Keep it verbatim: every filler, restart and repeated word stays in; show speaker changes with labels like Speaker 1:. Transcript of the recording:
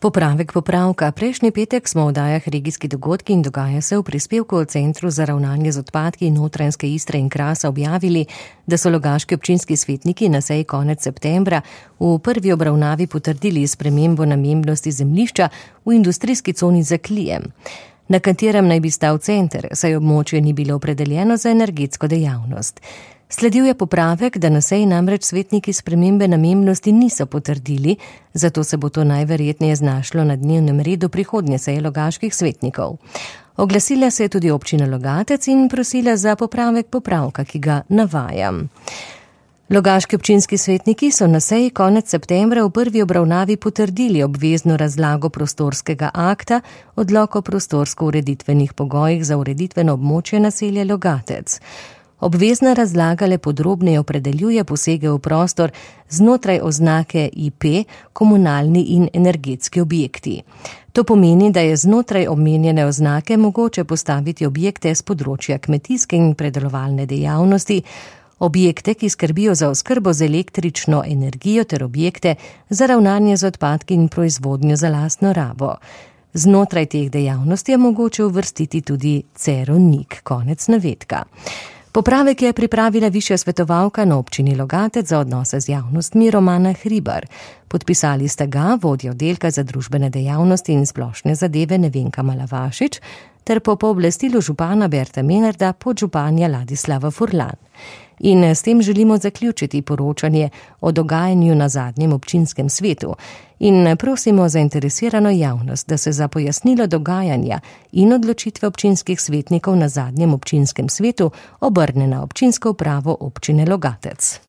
Speaker 1: Popravek popravka. Prejšnji petek smo v oddajah Regijski dogodki in dogaja se v prispevku o Centru za ravnanje z odpadki Notranjske Istre in Krasa objavili, da so logaški občinski svetniki na seji konec septembra v prvi obravnavi potrdili spremembo namembnosti zemljišča v industrijski coni Zaklijem, na katerem naj bi stal center, saj območje ni bilo opredeljeno za energetsko dejavnost. Sledil je popravek, da na seji namreč svetniki spremembe namembnosti niso potrdili, zato se bo to najverjetneje znašlo na dnevnem redu prihodnje seje logaških svetnikov. Oglasila se je tudi občina Logatec in prosila za popravek popravka, ki ga navajam. Logaški občinski svetniki so na seji konec septembra v prvi obravnavi potrdili obvezno razlago prostorskega akta, odlok o prostorsko-ureditvenih pogojih za ureditveno območje naselja Logatec. Obvezna razlaga le podrobneje opredeljuje posege v prostor znotraj oznake I P, komunalni in energetski objekti. To pomeni, da je znotraj omenjene oznake mogoče postaviti objekte z področja kmetijske in predelovalne dejavnosti, objekte, ki skrbijo za oskrbo z električno energijo ter objekte za ravnanje z odpadki in proizvodnjo za lastno rabo. Znotraj teh dejavnosti je mogoče uvrstiti tudi cerovnik. Konec navedka. Popravek je pripravila višja svetovalka na občini Logatec za odnose z javnostmi Romana Hribar. Podpisali sta ga vodja oddelka za družbene dejavnosti in splošne zadeve Nevenka Malavašič ter po pooblastilu župana Berta Menarda podžupanja Ladislava Furlan. In s tem želimo zaključiti poročanje o dogajanju na zadnjem občinskem svetu in prosimo zainteresirano javnost, da se za pojasnilo dogajanja in odločitve občinskih svetnikov na zadnjem občinskem svetu obrne na občinsko upravo občine Logatec.